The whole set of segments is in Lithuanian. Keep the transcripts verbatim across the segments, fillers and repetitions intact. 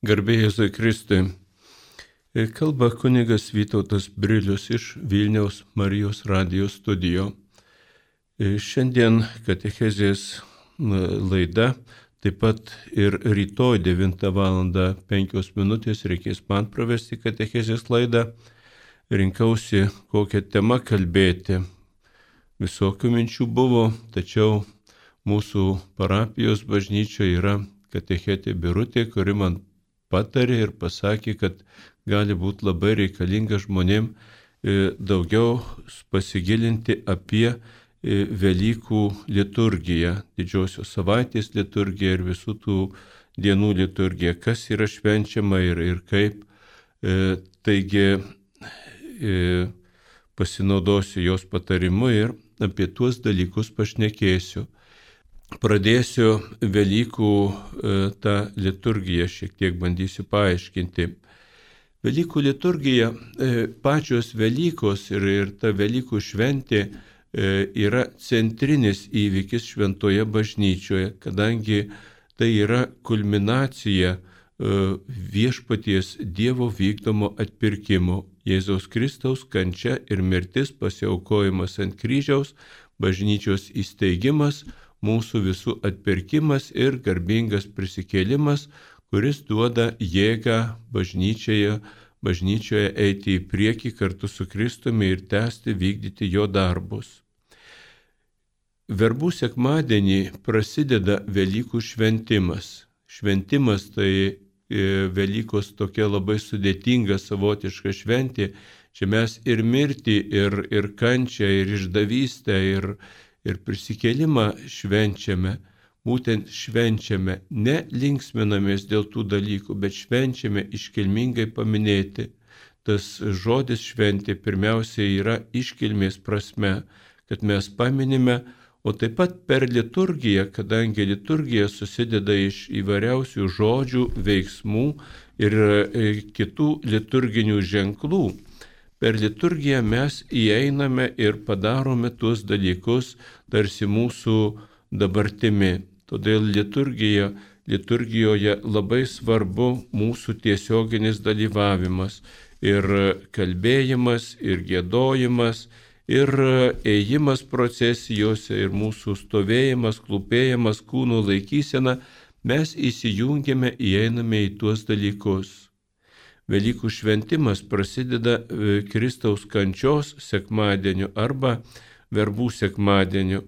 Garbė Jėzui Kristui. Kalba kunigas Vytautas Brilius iš Vilniaus Marijos radijos studijo. Šiandien katechezės laida, taip pat ir rytoj devintą valandą penkios minutės reikės man pravesti katechezės laidą. Rinkausi, kokią temą kalbėti. Visokių minčių buvo, tačiau mūsų parapijos bažnyčioje yra katechetė Birutė, kuri man patarė ir pasakė, kad gali būti labai reikalinga žmonėm daugiau pasigilinti apie Velykų liturgiją, didžiosios savaitės liturgiją ir visų tų dienų liturgiją, kas yra švenčiama ir, ir kaip. Taigi pasinaudosiu jos patarimu ir apie tuos dalykus pašnekėsiu. Pradėsiu Velykų tą liturgiją, šiek tiek bandysiu paaiškinti. Velykų liturgija, pačios Velykos ir, ir ta Velykų šventė yra centrinis įvykis šventoje bažnyčioje, kadangi tai yra kulminacija viešpaties Dievo vykdomo atpirkimo. Jėzaus Kristaus kančia ir mirtis, pasiaukojimas ant kryžiaus, bažnyčios įsteigimas, mūsų visų atpirkimas ir garbingas prisikėlimas, kuris duoda jėgą bažnyčioje, bažnyčioje eiti į priekį kartu su Kristumi ir tęsti vykdyti jo darbus. Verbų sekmadienį prasideda Velykų šventimas. Šventimas tai Velykos tokia labai sudėtinga savotiška šventė. Čia mes ir mirtį, ir, ir kančią, ir išdavystę, ir Ir prisikėlimą švenčiame, būtent švenčiame, ne linksminamės dėl tų dalykų, bet švenčiame iškilmingai paminėti. Tas žodis šventė pirmiausiai yra iškilmės prasme, kad mes paminime, o taip pat per liturgiją, kadangi liturgija susideda iš įvairiausių žodžių, veiksmų ir kitų liturginių ženklų. Per liturgiją mes įeiname ir padarome tuos dalykus tarsi mūsų dabartimi. Todėl liturgija, liturgijoje labai svarbu mūsų tiesioginis dalyvavimas ir kalbėjimas, ir giedojimas, ir ėjimas procesijose, ir mūsų stovėjimas, klūpėjimas, kūno laikysena. Mes įsijungiame, įeiname į tuos dalykus. Velykų šventimas prasideda Kristaus kančios sekmadieniu arba verbų sekmadieniu.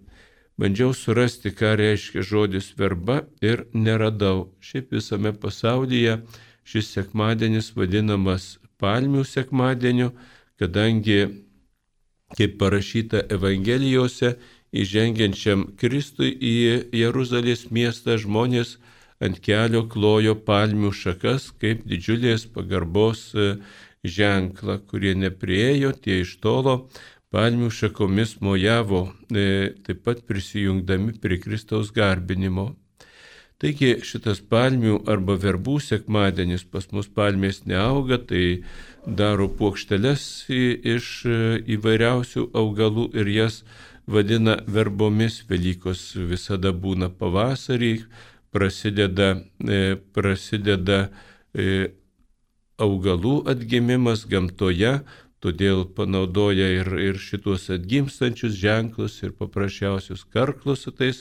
Bandžiau surasti, ką reiškia žodis verba ir neradau. Šiaip visame pasaulyje šis sekmadienis vadinamas palmių sekmadieniu, kadangi, kaip parašyta Evangelijose, įžengiančiam Kristui į Jeruzalės miestą žmonės ant kelio klojo palmių šakas kaip didžiulės pagarbos ženklą, kurie nepriėjo, tie iš tolo palmių šakomis mojavo, taip pat prisijungdami prie Kristaus garbinimo. Taigi šitas palmių arba verbų sekmadienis, pas mus palmės neauga, tai daro puokšteles iš įvairiausių augalų ir jas vadina verbomis. Velykos visada būna pavasarį, prasideda, prasideda augalų atgimimas gamtoje, todėl panaudoja ir, ir šitos atgimstančius ženklus ir paprasčiausius karklus su tais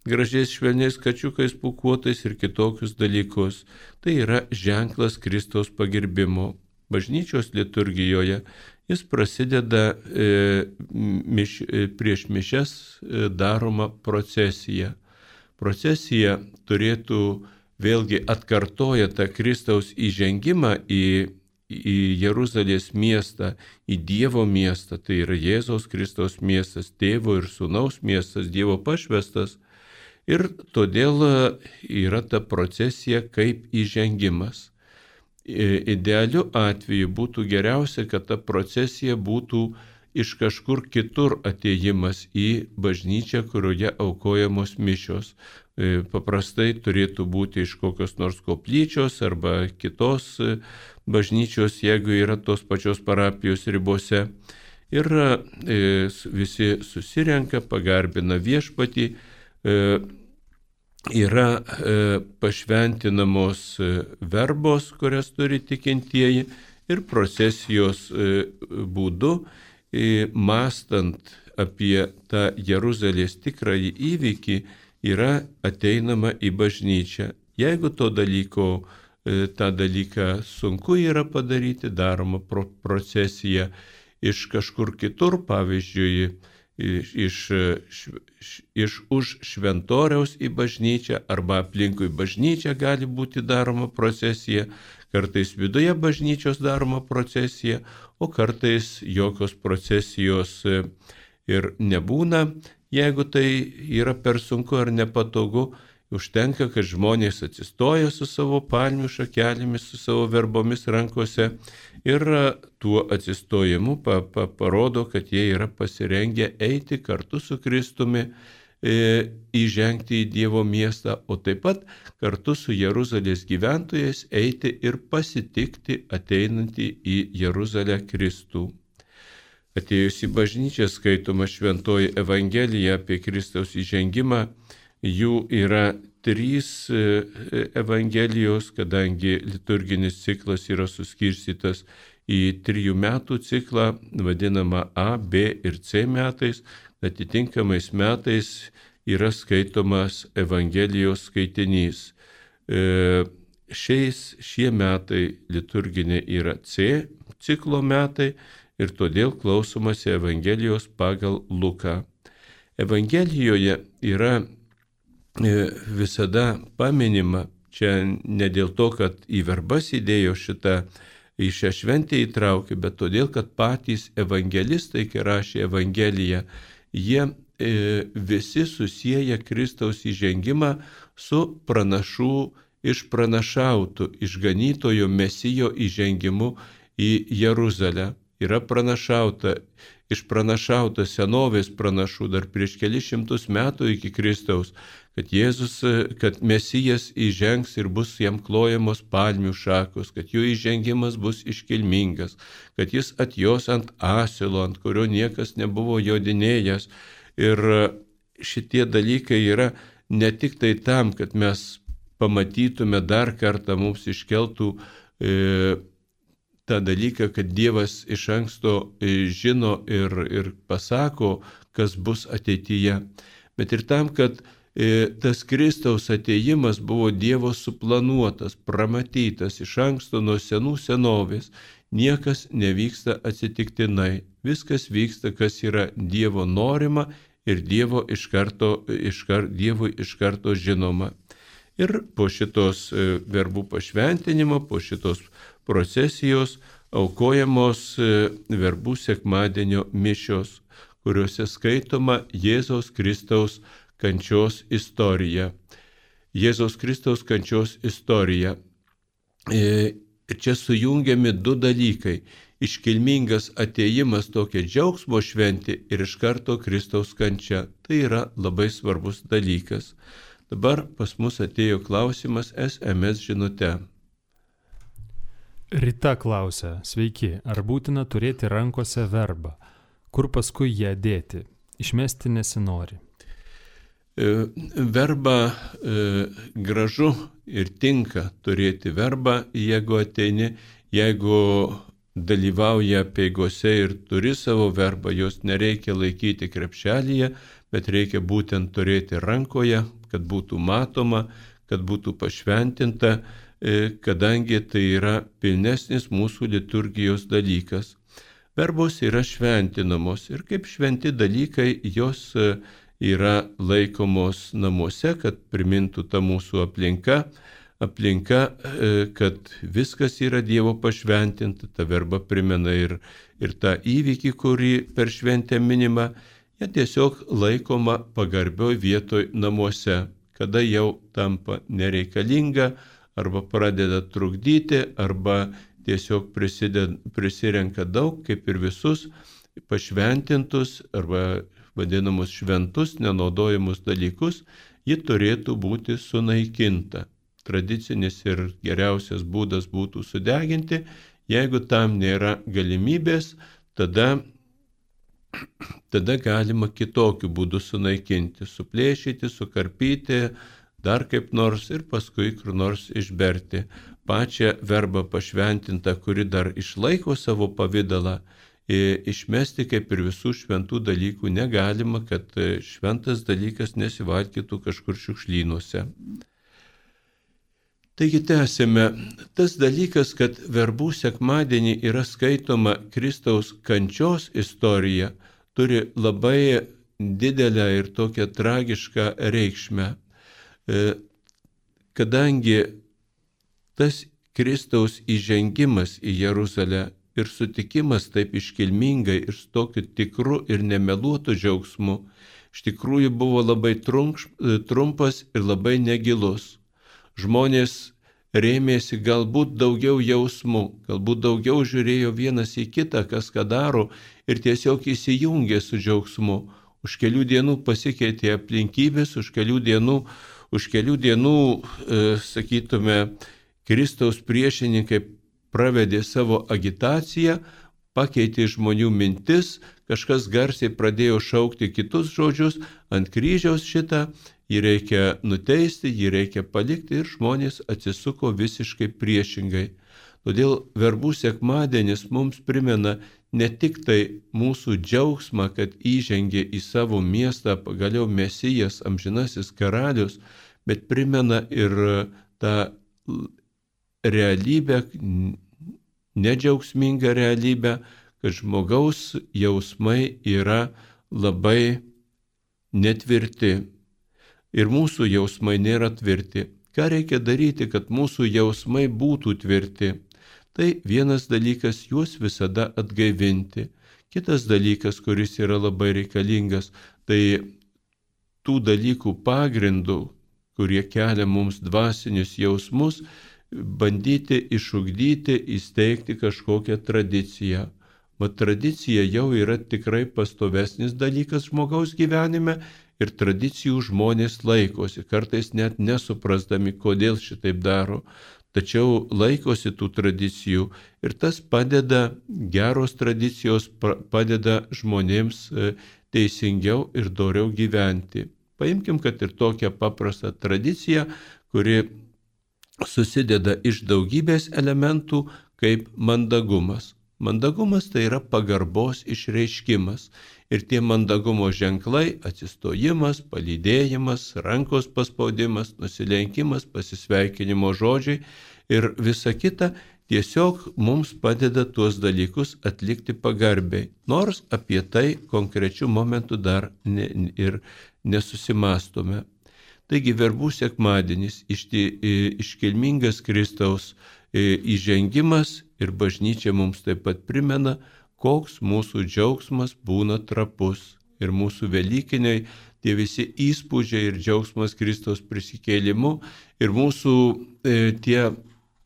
gražiais švelniais kačiukais pūkuotais ir kitokius dalykus. Tai yra ženklas Kristaus pagerbimo. Bažnyčios liturgijoje jis prasideda e, miš, prieš mišias e, daroma procesija. Procesija turėtų vėlgi atkartoja tą Kristaus įžengimą į, į Jeruzalės miestą, į Dievo miestą, tai yra Jėzaus Kristaus miestas, Tėvo ir Sūnaus miestas, Dievo pašvestas. Ir todėl yra ta procesija kaip įžengimas. Idealiu atveju būtų geriausia, kad ta procesija būtų iš kažkur kitur atėjimas į bažnyčią, kurioje aukojamos mišios. Paprastai turėtų būti iš kokios nors koplyčios arba kitos bažnyčios, jeigu yra tos pačios parapijos ribose. Ir visi susirenka, pagarbina viešpatį, yra e, pašventinamos e, verbos, kurias turi tikintieji, ir procesijos e, būdu, e, mąstant apie tą Jeruzalės tikrąjį įvykį, yra ateinama į bažnyčią. Jeigu to dalyko, e, tą dalyką sunku yra padaryti, daroma pro, procesija iš kažkur kitur, pavyzdžiui, iš, iš, iš, iš už šventoriaus į bažnyčią arba aplinkui bažnyčią gali būti daroma procesija, kartais viduje bažnyčios daroma procesija, o kartais jokios procesijos ir nebūna. Jeigu tai yra per sunku ar nepatogu, užtenka, kad žmonės atsistoja su savo palmių šakelėmis, su savo verbomis rankose ir tuo atsistojimu pa, pa, parodo, kad jie yra pasirengę eiti kartu su Kristumi, e, įžengti į Dievo miestą, o taip pat kartu su Jeruzalės gyventojais eiti ir pasitikti ateinantį į Jeruzalę Kristų. Atėjus į bažnyčią skaitoma šventoji Evangelija apie Kristaus įžengimą. Jų yra trys Evangelijos, kadangi liturginis ciklas yra suskirstytas į trijų metų ciklą, vadinamą A, B ir C metais. Atitinkamais metais yra skaitomas Evangelijos skaitinys. Šiais šie metai liturginė yra C ciklo metai ir todėl klausomasi Evangelijos pagal Luką. Evangelijoje yra visada paminima, čia ne dėl to, kad į verbas įdėjo šitą, į šią šventę įtraukė, bet todėl, kad patys evangelistai, kai rašė Evangeliją, jie e, visi susieja Kristaus įžengimą su pranašų išpranašautų, išganytojo Mesijo įžengimu į Jeruzalę. Yra pranašauta, išpranašauta senovės pranašų dar prieš kelis šimtus metų iki Kristaus, kad Jėzus, kad Mesijas įžengs ir bus jam klojamos palmių šakos, kad jo įžengimas bus iškilmingas, kad jis atjos ant asilo, ant kurio niekas nebuvo jodinėjęs. Ir šitie dalykai yra ne tik tai tam, kad mes pamatytume dar kartą, mums iškeltų e, tą dalyką, kad Dievas iš anksto žino ir, ir pasako, kas bus ateityje, bet ir tam, kad e, tas Kristaus ateijimas buvo Dievo suplanuotas, pramatytas iš anksto nuo senų senovės. Niekas nevyksta atsitiktinai. Viskas vyksta, kas yra Dievo norima ir Dievo iš karto, iš kar, Dievui iš karto žinoma. Ir po šitos verbų pašventinimo, po šitos procesijos aukojamos verbų sekmadienio mišios, kuriuose skaitoma Jėzaus Kristaus kančios istorija. Jėzaus Kristaus kančios istorija. Ir čia sujungiami du dalykai. Iškilmingas atėjimas, tokia džiaugsmo šventė ir iš karto Kristaus kančia. Tai yra labai svarbus dalykas. Dabar pas mus atėjo klausimas S M S žinute. Rita klausia, sveiki, ar būtina turėti rankose verbą? Kur paskui ją dėti? Išmesti nesinori. Verbą e, gražu ir tinka turėti verbą, jeigu ateini, jeigu dalyvauja apeigose ir turi savo verbą, jos nereikia laikyti krepšelyje, bet reikia būtent turėti rankoje, kad būtų matoma, kad būtų pašventinta, kadangi tai yra pilnesnis mūsų liturgijos dalykas. Verbos yra šventinamos ir kaip šventi dalykai jos yra laikomos namuose, kad primintų tą mūsų aplinka, aplinka, kad viskas yra Dievo pašventinta, ta verba primena ir, ir tą įvykį, kurį per šventę minima, jie tiesiog laikoma pagarbioj vietoj namuose, kada jau tampa nereikalinga, arba pradeda trukdyti, arba tiesiog prisideda, prisirenka daug, kaip ir visus pašventintus, arba vadinamus šventus, nenaudojimus dalykus, ji turėtų būti sunaikinta. Tradicinis ir geriausias būdas būtų sudeginti, jeigu tam nėra galimybės, tada tada galima kitokiu būdu sunaikinti, suplėšyti, sukarpyti, dar kaip nors ir paskui kur nors išberti. Pačią verbą pašventintą, kuri dar išlaiko savo pavidalą, išmesti kaip ir visų šventų dalykų negalima, kad šventas dalykas nesivalkytų kažkur šiukšlynuose. Taigi tęsime. Tas dalykas, kad verbų sekmadienį yra skaitoma Kristaus kančios istorija, turi labai didelę ir tokią tragišką reikšmę. Kadangi tas Kristaus įžengimas į Jeruzalę ir sutikimas taip iškilmingai ir su tokiu tikru ir nemeluotu džiaugsmu iš tikrųjų buvo labai trumpas ir labai negilus. Žmonės rėmėsi galbūt daugiau jausmų, galbūt daugiau žiūrėjo vienas į kitą, kas ką daro ir tiesiog įsijungė su džiaugsmu. Už kelių dienų pasikeitė aplinkybės, už kelių dienų, už kelių dienų e, sakytume, Kristaus priešininkai pravedė savo agitaciją, pakeitė žmonių mintis, kažkas garsiai pradėjo šaukti kitus žodžius, ant kryžiaus šitą, jį reikia nuteisti, jį reikia palikti ir žmonės atsisuko visiškai priešingai. Todėl verbų sekmadienis mums primena ne tik tai mūsų džiaugsmą, kad įžengė į savo miestą pagaliau Mesijas, amžinasis karalius, bet primena ir tą realybę, nedžiaugsmingą realybę, kad žmogaus jausmai yra labai netvirti. Ir mūsų jausmai nėra tvirti. Ką reikia daryti, kad mūsų jausmai būtų tvirti? Tai vienas dalykas, juos visada atgaivinti. Kitas dalykas, kuris yra labai reikalingas, tai tų dalykų pagrindų, kurie kelia mums dvasinius jausmus, bandyti išugdyti, įsteigti kažkokią tradiciją. Mat tradicija jau yra tikrai pastovesnis dalykas žmogaus gyvenime ir tradicijų žmonės laikosi, kartais net nesuprasdami, kodėl šitaip daro, tačiau laikosi tų tradicijų ir tas padeda, geros tradicijos padeda žmonėms teisingiau ir doriau gyventi. Paimkim, kad ir tokią paprastą tradiciją, kuri susideda iš daugybės elementų kaip mandagumas. Mandagumas tai yra pagarbos išreiškimas ir tie mandagumo ženklai – atsistojimas, palydėjimas, rankos paspaudimas, nusilenkimas, pasisveikinimo žodžiai ir visa kita tiesiog mums padeda tuos dalykus atlikti pagarbiai, nors apie tai konkrečių momentų dar ne, ir nesusimastome. Taigi verbų sekmadienis, iškilmingas Kristaus įžengimas ir bažnyčia mums taip pat primena, koks mūsų džiaugsmas būna trapus. Ir mūsų velykiniai, tie visi įspūdžiai ir džiaugsmas Kristaus prisikėlimu ir mūsų e, tie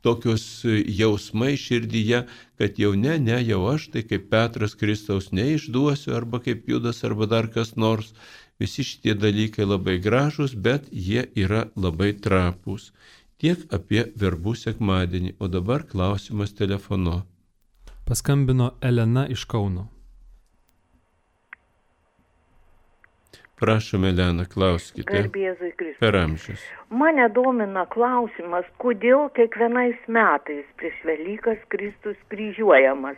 tokios jausmai širdyje, kad jau ne, ne, jau aš, tai kaip Petras Kristaus neišduosiu, arba kaip Judas, arba dar kas nors. Visi šitie dalykai labai gražūs, bet jie yra labai trapūs. Tiek apie verbų sekmadienį, o dabar klausimas telefonu. Paskambino Elena iš Kauno. Prašom, Elena, klauskite. Garbėzui Kristui. Per amžius. Mane domina klausimas, kodėl kiekvienais metais prieš Velykas Kristus kryžiuojamas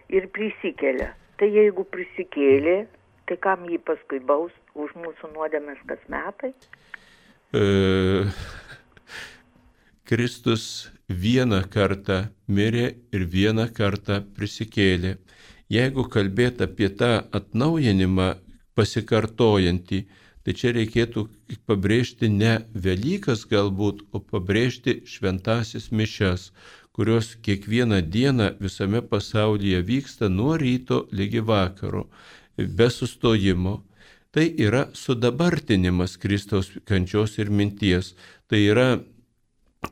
ir prisikelia. Tai jeigu prisikėlė, tai kam jį paskui baus už mūsų nuodėmes kas metai? E... Kristus vieną kartą mirė ir vieną kartą prisikėlė. Jeigu kalbėt apie tą atnaujinimą pasikartojantį, tai čia reikėtų pabrėžti ne Velykas galbūt, o pabrėžti šventasis mišias, kurios kiekvieną dieną visame pasaulyje vyksta nuo ryto ligi vakaro, be sustojimo. Tai yra sudabartinimas Kristaus kančios ir minties. Tai yra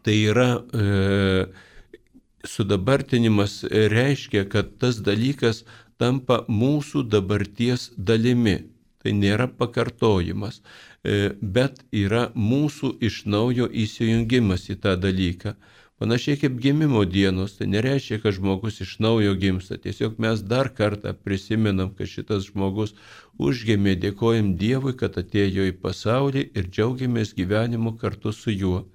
Tai yra e, sudabartinimas reiškia, kad tas dalykas tampa mūsų dabarties dalimi. Tai nėra pakartojimas, e, bet yra mūsų iš naujo įsijungimas į tą dalyką. Panašiai kaip gimimo dienos, tai nereiškia, kad žmogus iš naujo gimsta. Tiesiog mes dar kartą prisimenam, kad šitas žmogus užgimė, dėkojam Dievui, kad atėjo į pasaulį ir džiaugiamės gyvenimu kartu su juo.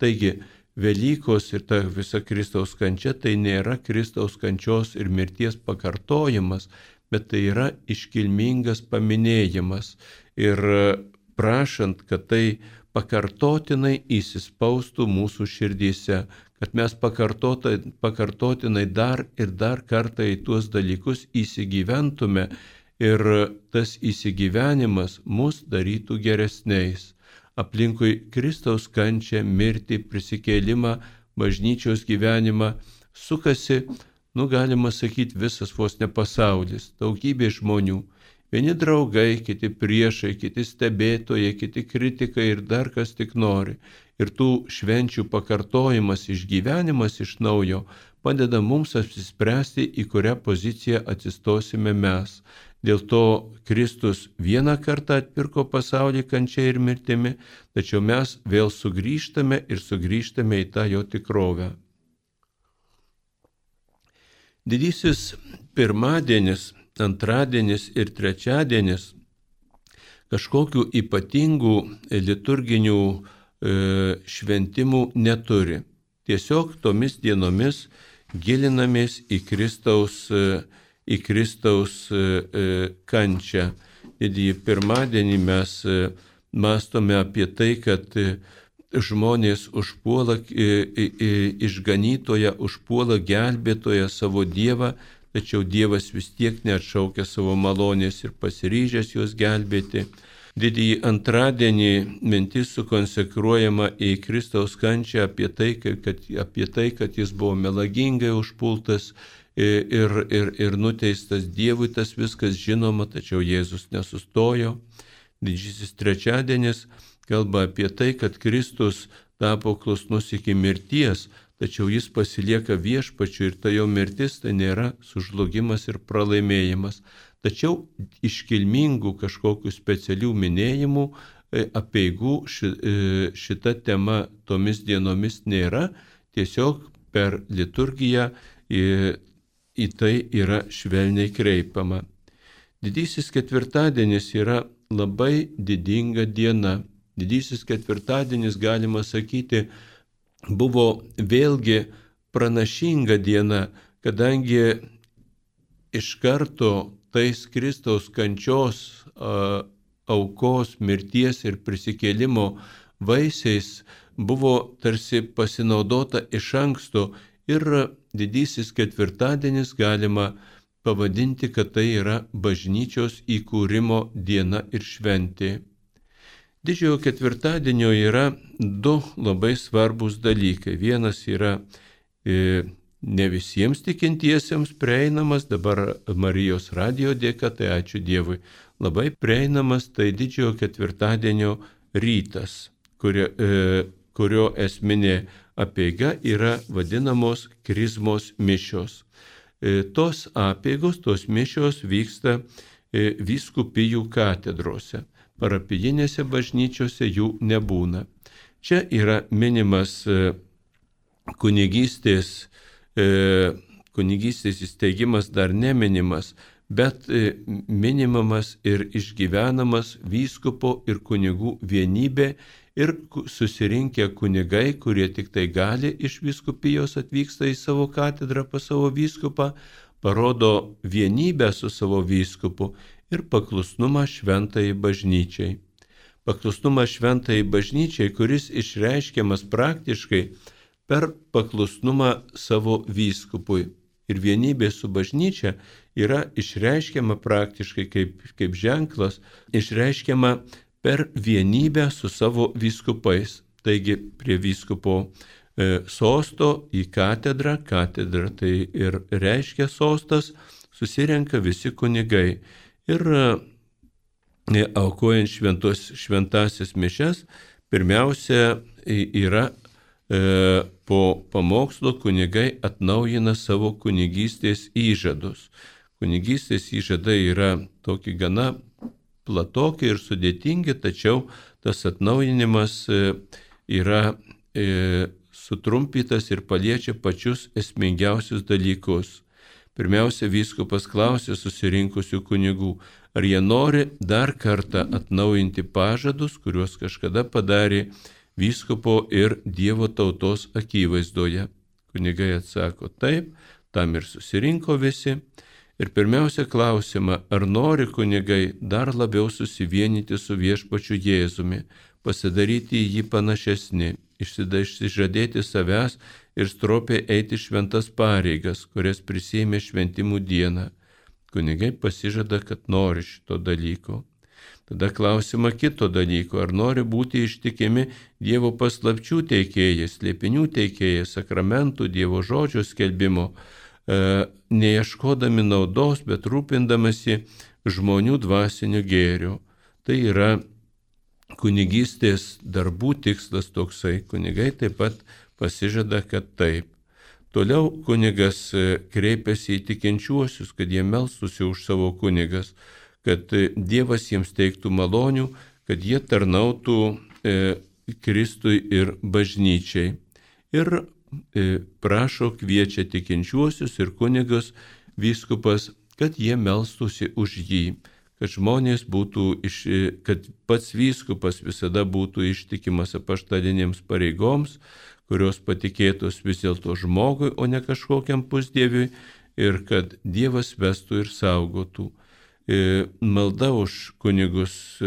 Taigi, Velykos ir ta visa Kristaus kančia tai nėra Kristaus kančios ir mirties pakartojimas, bet tai yra iškilmingas paminėjimas. Ir prašant, kad tai pakartotinai įsispaustų mūsų širdyse, kad mes pakartotinai dar ir dar kartą į tuos dalykus įsigyventume ir tas įsigyvenimas mus darytų geresniais. Aplinkui Kristaus kančią, mirtį, prisikėlimą, bažnyčios gyvenimą sukasi, nu galima sakyti, visas vos ne pasaulis, daugybė žmonių. Vieni draugai, kiti priešai, kiti stebėtojai, kiti kritikai ir dar kas tik nori. Ir tų švenčių pakartojimas, išgyvenimas iš naujo padeda mums apsispręsti, į kurią poziciją atsistosime mes. Dėl to Kristus vieną kartą atpirko pasaulį kančia ir mirtimi, tačiau mes vėl sugrįžtame ir sugrįžtame į tą jo tikrovę. Didysis pirmadienis, antradienis ir trečiadienis kažkokių ypatingų liturginių e, šventimų neturi. Tiesiog tomis dienomis gilinamės į Kristaus e, į Kristaus kančią. Didįjį pirmadienį mes mąstome apie tai, kad žmonės užpuola išganytoją, užpuola gelbėtoją savo Dievą, tačiau Dievas vis tiek neatšaukia savo malonės ir pasiryžęs juos gelbėti. Didįjį antradienį mintis sukonsekruojama į Kristaus kančią apie tai, kad, apie tai, kad jis buvo melagingai užpultas, Ir, ir, ir nuteistas Dievui, tas viskas žinoma, tačiau Jėzus nesustojo. Didysis trečiadienis kalba apie tai, kad Kristus tapo klusnus iki mirties, tačiau jis pasilieka viešpačiu ir ta jo mirtis tai nėra sužlugimas ir pralaimėjimas. Tačiau iškilmingų kažkokių specialių minėjimų, apeigų šita tema tomis dienomis nėra, tiesiog per liturgiją į tai yra švelniai kreipiama. Didysis ketvirtadienis yra labai didinga diena. Didysis ketvirtadienis, galima sakyti, buvo vėlgi pranašinga diena, kadangi iš karto tais Kristaus kančios, aukos, mirties ir prisikėlimo vaisiais buvo tarsi pasinaudota iš anksto. Ir didysis ketvirtadienis galima pavadinti, kad tai yra bažnyčios įkūrimo diena ir šventė. Didžiojo ketvirtadienio yra du labai svarbus dalykai. Vienas yra e, ne visiems tikintiesiems prieinamas, dabar Marijos radijo dėka, tai ačiū Dievui, labai prieinamas, tai didžiojo ketvirtadienio rytas, kurio, e, kurio esminė apeiga yra vadinamos krizmos mišios. E, tos apeigos, tos mišios vyksta e, vyskupijų katedrose. Parapijinėse bažnyčiose jų nebūna. Čia yra minimas e, kunigystės, e, kunigystės įsteigimas dar neminimas, bet e, minimamas ir išgyvenamas vyskupo ir kunigų vienybė. Ir susirinkę kunigai, kurie tik tai gali iš vyskupijos atvyksta į savo katedrą pas savo vyskupą, parodo vienybę su savo vyskupu ir paklusnumą šventai bažnyčiai. Paklusnumą šventai bažnyčiai, kuris išreiškiamas praktiškai per paklusnumą savo vyskupui. Ir vienybė su bažnyčia yra išreiškiama praktiškai kaip, kaip ženklas, išreiškiama per vienybę su savo vyskupais. Taigi prie vyskupo e, sosto į katedrą, katedra tai ir reiškia sostas, susirenka visi kunigai. Ir e, aukojant šventos, šventasias mišias, pirmiausia yra e, po pamokslo kunigai atnaujina savo kunigystės įžadus. Kunigystės įžadai yra tokie gana platoki ir sudėtingi, tačiau tas atnaujinimas yra sutrumpytas ir paliečia pačius esmingiausius dalykus. Pirmiausia, vyskupas klausė susirinkusių kunigų, ar jie nori dar kartą atnaujinti pažadus, kuriuos kažkada padarė vyskupo ir Dievo tautos akivaizdoje. Kunigai atsako taip, tam ir susirinko visi. Ir pirmiausia klausimą, ar nori kunigai dar labiau susivienyti su viešpačiu Jėzumi, pasidaryti į jį panašesni, išsižadėti savęs ir stropiai eiti šventas pareigas, kurias prisėmė šventimų dieną. Kunigai pasižada, kad nori šito dalyko. Tada klausima kito dalyko, ar nori būti ištikimi Dievo paslapčių teikėjai, slėpinių teikėjai, sakramentų, Dievo žodžio skelbimo, e, neieškodami naudos, bet rūpindamasi žmonių dvasiniu gėriu. Tai yra kunigystės darbų tikslas toksai. Kunigai taip pat pasižada, kad taip. Toliau kunigas kreipiasi į tikinčiuosius, kad jie melstųsi už savo kunigas, kad Dievas jiems teiktų malonių, kad jie tarnautų e, Kristui ir bažnyčiai. Ir e, prašo, kviečia tikinčiuosius ir kunigas vyskupas, kad jie melstųsi už jį, kad žmonės būtų, iš, kad pats vyskupas visada būtų ištikimas apaštalinėms pareigoms, kurios patikėtos vis dėlto žmogui, o ne kažkokiam pusdieviui, ir kad Dievas vestų ir saugotų. Malda už kunigus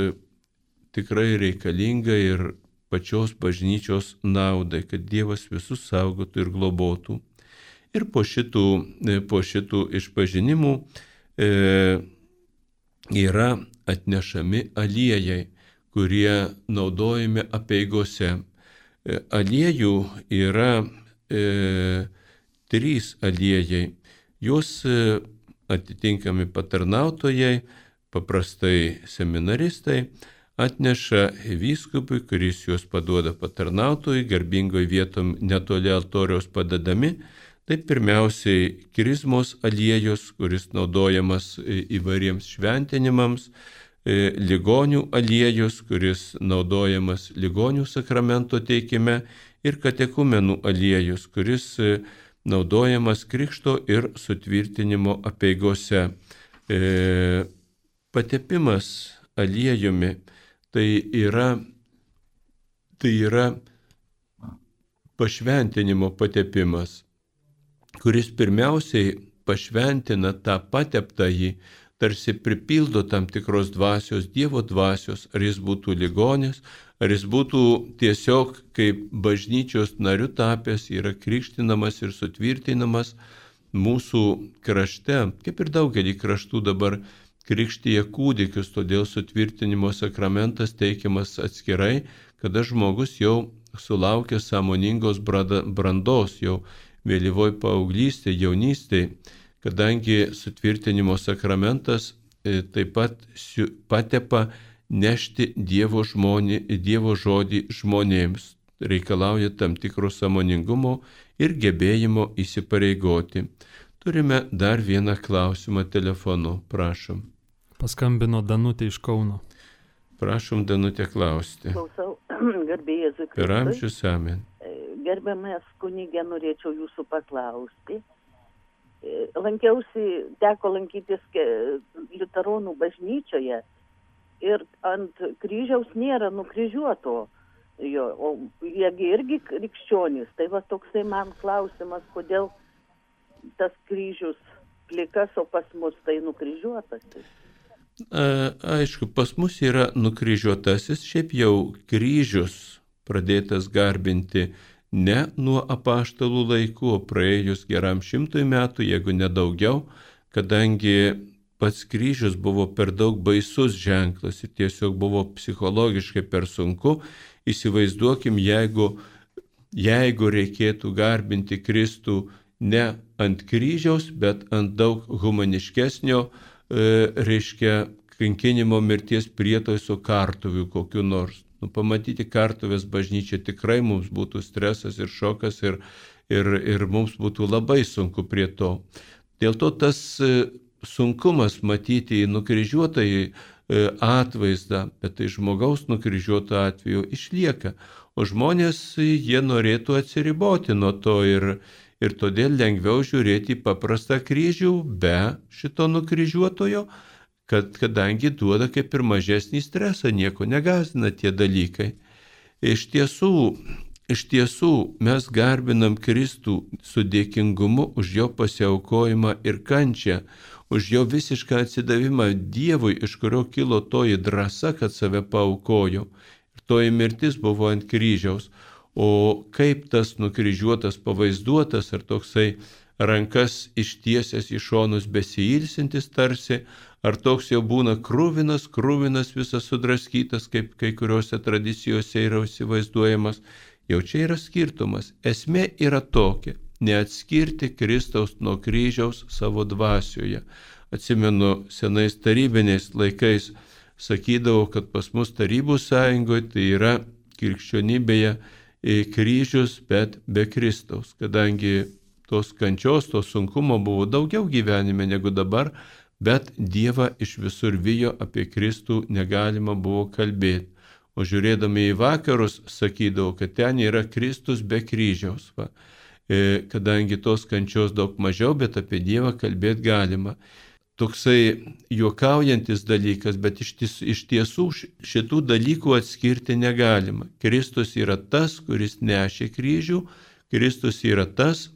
tikrai reikalinga ir pačios bažnyčios naudai, kad Dievas visus saugotų ir globotų. Ir po šitų, po šitų išpažinimų e, yra atnešami aliejai, kurie naudojami apeigose. E, aliejų yra e, trys aliejai. Juos e, atitinkami patarnautojai, paprastai seminaristai, atneša vyskupui, kuris juos paduoda patarnautojui, garbingoj vietom netoli altoriaus padedami. Tai pirmiausiai krizmos aliejus, kuris naudojamas įvairiems šventinimams, ligonių aliejus, kuris naudojamas ligonių sakramento teikime, ir katekumenų aliejus, kuris naudojamas krikšto ir sutvirtinimo apeigose. Patepimas aliejumi tai yra, tai yra pašventinimo patepimas, kuris pirmiausiai pašventina tą pateptąjį, tarsi pripildo tam tikros dvasios, Dievo dvasios, ar jis būtų ligonis, ar jis būtų tiesiog kaip bažnyčios nariu tapęs, yra krikštinamas ir sutvirtinamas mūsų krašte, kaip ir daugelį kraštų dabar krikštyje kūdikius, todėl sutvirtinimo sakramentas teikiamas atskirai, kada žmogus jau sulaukia sąmoningos brandos, jau vėlyvoj paauglystėje, jaunystėje, kadangi sutvirtinimo sakramentas e, taip pat patepa nešti Dievo, žmonė, Dievo žodį žmonėms, reikalauja tam tikro sąmoningumo ir gebėjimo įsipareigoti. Turime dar vieną klausimą telefonu, prašom. Paskambino Danutė iš Kauno. Prašom, Danutė, klausti. Klausau, garbė Jėzui Kristui. Per amžius, amen. Gerbiamas kunigė, norėčiau jūsų paklausti. Lankiausi, teko lankytis liuteronų bažnyčioje ir ant kryžiaus nėra nukryžiuoto jo, o jiegi irgi krikščionys. Tai va toksai man klausimas, kodėl tas kryžius plikas, o pas mus tai nukryžiuotas. A, aišku, pas mus yra nukryžiuotasis, šiaip jau kryžius pradėtas garbinti ne nuo apaštalų laikų, o praėjus geram šimtui metų, jeigu nedaugiau, kadangi pats kryžius buvo per daug baisus ženklas ir tiesiog buvo psichologiškai per sunku. Įsivaizduokim, jeigu, jeigu reikėtų garbinti Kristų ne ant kryžiaus, bet ant daug humaniškesnio, e, reiškia, kankinimo mirties prietaiso kartuvių kokiu nors. Nu, pamatyti kartuvės bažnyčią tikrai mums būtų stresas ir šokas ir, ir, ir mums būtų labai sunku prie to. Dėl to tas sunkumas matyti į nukryžiuotąjį atvaizdą, bet tai žmogaus nukryžiuoto atveju išlieka. o žmonės jie norėtų atsiriboti nuo to ir, ir todėl lengviau žiūrėti į paprastą kryžių be šito nukryžiuotojo, kad, kadangi duoda kaip ir mažesnį stresą, nieko negąsdina tie dalykai. Iš tiesų, iš tiesų mes garbinam Kristų su dėkingumu už jo pasiaukojimą ir kančią, už jo visišką atsidavimą Dievui, iš kurio kilo toji drąsa, kad save paaukojo. Ir toji mirtis buvo ant kryžiaus. O kaip tas nukryžiuotas pavaizduotas, ar toksai rankas ištiesęs į šonus besiilsintis tarsi, ar toks jau būna krūvinas, krūvinas visas sudraskytas, kaip kai kuriuose tradicijose yra įsivaizduojamas, jau čia yra skirtumas. Esmė yra tokia – neatskirti Kristaus nuo kryžiaus savo dvasioje. Atsimenu, senais tarybiniais laikais sakydavau, kad pas mus Tarybų sąjungoje tai yra krikščionybėje kryžius, bet be Kristaus, kadangi tos kančios, to sunkumo buvo daugiau gyvenime negu dabar, bet Dievą iš visur vijo, apie Kristų negalima buvo kalbėti. O žiūrėdami į vakarus sakydavau, kad ten yra Kristus be kryžiaus, va. E, kadangi tos kančios daug mažiau, bet apie Dievą kalbėti galima. Toksai juokaujantis dalykas, bet iš, ties, iš tiesų šitų dalykų atskirti negalima. Kristus yra tas, kuris nešė kryžių, Kristus yra tas,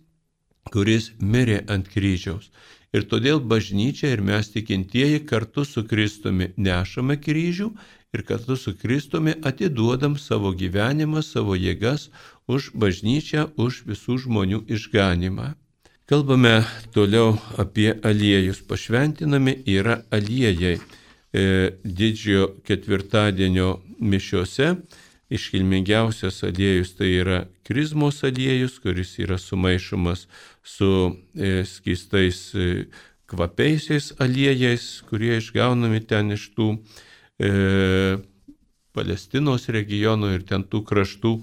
kuris mirė ant kryžiaus. Ir todėl bažnyčia ir mes tikintieji kartu su Kristumi nešame kryžių ir kartu su Kristumi atiduodam savo gyvenimą, savo jėgas už bažnyčią, už visų žmonių išganimą. Kalbame toliau apie aliejus. Pašventinami yra aliejai. E, didžiojo ketvirtadienio mišiose iškilmingiausias aliejus tai yra krizmos aliejus, kuris yra sumaišomas su e, skystais e, kvapiaisiais aliejais, kurie išgaunami ten iš tų e, Palestinos regionų ir ten tų kraštų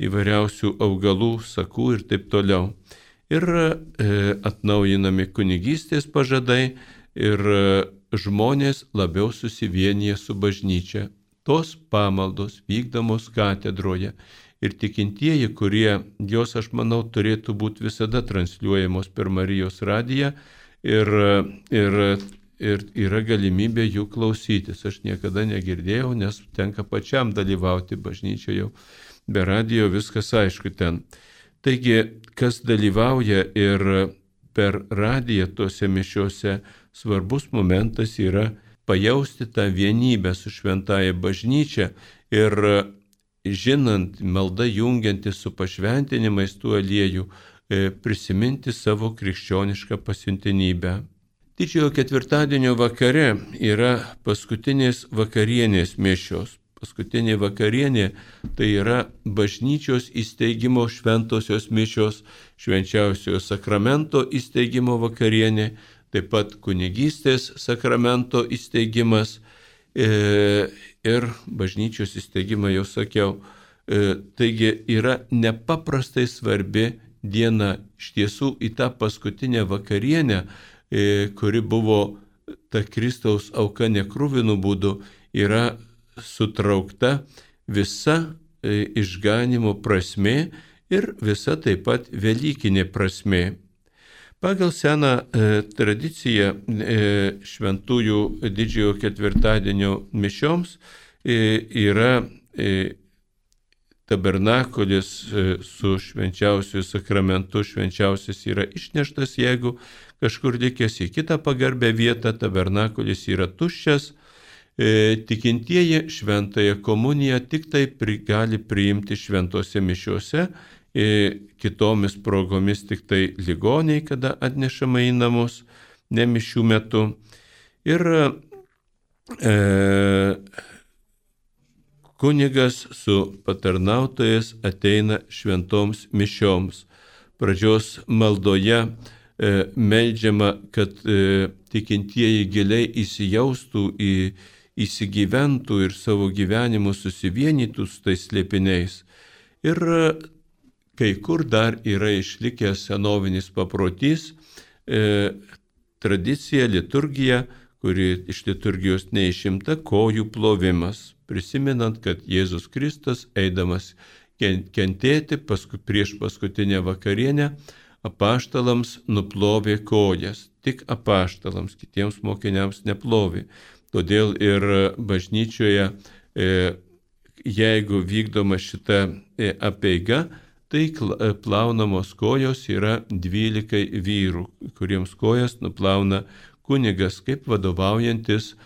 įvairiausių augalų, sakų ir taip toliau. Ir e, atnaujinami kunigystės pažadai ir e, žmonės labiau susivienyje su bažnyčia. Tos pamaldos vykdomos katedroje ir tikintieji, kurie, jos aš manau turėtų būti visada transliuojamos per Marijos radiją ir, ir, ir yra galimybė jų klausytis. Aš niekada negirdėjau, nes tenka pačiam dalyvauti bažnyčioje, be radijo viskas aišku ten. Taigi, kas dalyvauja ir per radiją tose mišiose, svarbus momentas yra pajausti tą vienybę su šventąja bažnyčia ir žinant, malda jungiantis su pašventinimais tų aliejų, prisiminti savo krikščionišką pasiuntinybę. Didžiojo ketvirtadienio vakare yra paskutinės vakarienės mišios. Paskutinė vakarienė tai yra bažnyčios įsteigimo šventosios mišios, švenčiausiojo sakramento įsteigimo vakarienė, taip pat kunigystės sakramento įsteigimas e, ir bažnyčios įsteigimą jau sakiau. E, taigi yra nepaprastai svarbi diena iš tiesų į tą paskutinę vakarienę, e, kuri buvo ta Kristaus auka nekruvinu būdu, yra sutraukta visa e, išganimo prasmė ir visa taip pat velykinė prasmė. Pagal seną e, tradiciją e, šventųjų didžiojo ketvirtadienio mišioms e, yra e, tabernakulis e, su švenčiausiu sakramentu. Švenčiausias yra išneštas, jeigu kažkur likęs į kitą pagarbę vietą, tabernakulis yra tuščias. E, tikintieji šventąją komuniją tik tai pri, gali priimti šventose mišiose, e, kitomis progomis tik tai ligoniai, kada atnešama į namus, ne mišių metu. Ir e, kunigas su patarnautojas ateina šventoms mišioms. Pradžios maldoje e, meldžiama, kad e, tikintieji giliai įsijaustų į įsigyventų ir savo gyvenimu susivienytų su tais slėpiniais. Ir kai kur dar yra išlikęs senovinis paprotys, e, tradicija, liturgija, kuri iš liturgijos neišimta, kojų plovimas, prisimenant, kad Jėzus Kristus, eidamas kentėti, paskui prieš paskutinę vakarienę apaštalams nuplovė kojas. Tik apaštalams, kitiems mokiniams neplovė. Todėl ir bažnyčioje, jeigu vykdoma šita apeiga, tai plaunamos kojos yra dvylikai vyrų, kuriems kojas nuplauna kunigas, kaip vadovaujantis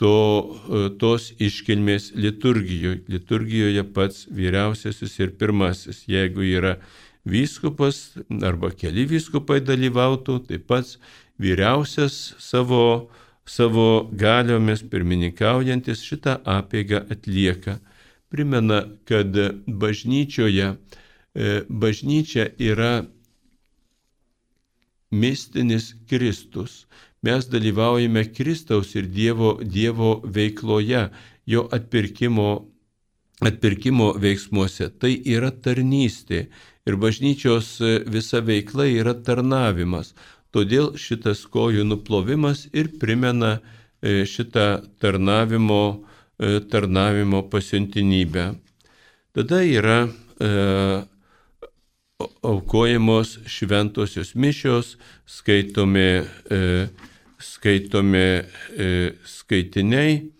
to, tos iškilmės liturgijoje. Liturgijoje pats vyriausiasis ir pirmasis. Jeigu yra vyskupas arba keli vyskupai dalyvautų, tai pats vyriausias savo, savo galiomis pirmininkaujantis šitą apeigą atlieka. Primena, kad bažnyčioje bažnyčia yra mistinis Kristus. Mes dalyvaujame Kristaus ir Dievo, Dievo veikloje, jo atpirkimo, atpirkimo veiksmuose. Tai yra tarnystė ir bažnyčios visa veikla yra tarnavimas. Todėl šitas kojų nuplovimas ir primena šitą tarnavimo, tarnavimo pasiuntinybę. Tada yra e, aukojamos šventosios mišios, skaitomi, e, skaitomi e, skaitiniai,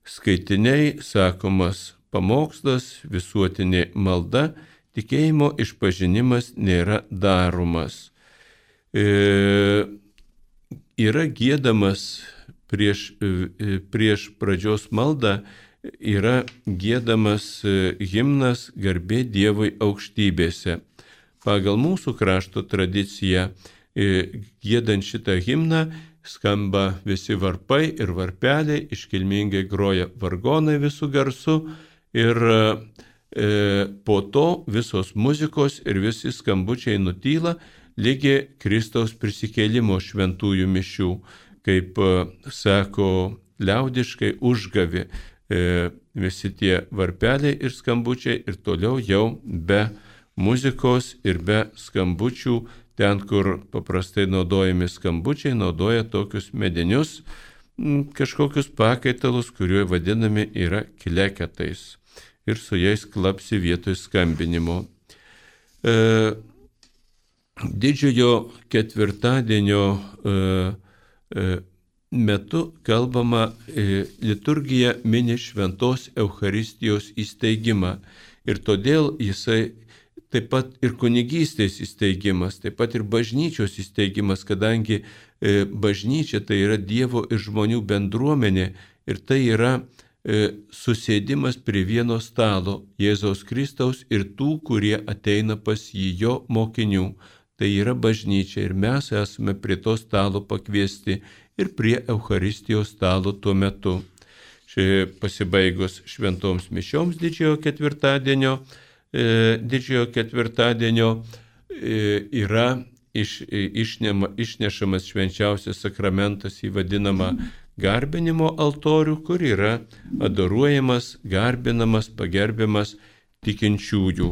skaitiniai, sakomas pamokslas, visuotinė malda, tikėjimo išpažinimas nėra daromas. E, yra giedamas prieš, prieš pradžios maldą, yra giedamas himnas Garbė Dievui aukštybėse. Pagal mūsų krašto tradiciją, giedant šitą himną, skamba visi varpai ir varpeliai, iškilmingai groja vargonai visų garsų ir e, po to visos muzikos ir visi skambučiai nutyla lygi Kristaus prisikėlimo šventųjų mišių, kaip sako liaudiškai užgavi. E, visi tie varpeliai ir skambučiai ir toliau jau be muzikos ir be skambučių, ten, kur paprastai naudojami skambučiai, naudoja tokius medinius m, kažkokius pakaitalus, kurie vadinami yra kleketais ir su jais klapsi vietoj skambinimo. E, didžiojo ketvirtadienio e, e, metu kalbama, e, liturgija mini šventos Eucharistijos įsteigimą ir todėl jisai taip pat ir kunigystės įsteigimas, taip pat ir bažnyčios įsteigimas, kadangi e, bažnyčia tai yra Dievo ir žmonių bendruomenė ir tai yra e, susėdimas prie vieno stalo Jėzaus Kristaus ir tų, kurie ateina pas jį, jo mokinių. Tai yra bažnyčia ir mes esame prie to stalo pakviesti ir prie Eucharistijos stalo tuo metu. Šia pasibaigus šventoms mišioms didžiojo ketvirtadienio, e, didžiojo ketvirtadienio e, yra iš, išnema, išnešamas švenčiausias sakramentas į vadinamą garbinimo altorių, kur yra adoruojamas, garbinamas, pagerbiamas tikinčiųjų.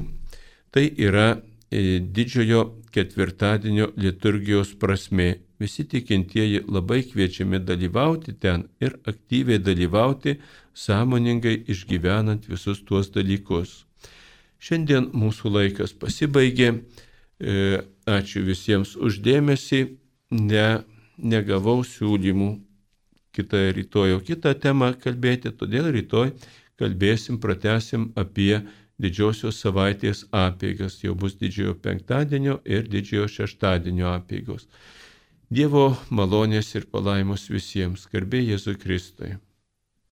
Tai yra e, didžiojo ketvirtadienio liturgijos prasmė. Visi tikintieji labai kviečiami dalyvauti ten ir aktyviai dalyvauti, sąmoningai išgyvenant visus tuos dalykus. Šiandien mūsų laikas pasibaigė. Ačiū visiems uždėmesį. Ne, negavau siūlymų kitą rytoj, kitą temą kalbėti, todėl rytoj kalbėsim, pratesim apie didžiosios savaitės apeigas. Jau bus didžiojo penktadienio ir didžiojo šeštadienio apeigos. Dievo malonės ir palaimos visiems. Garbė Jėzui Kristui.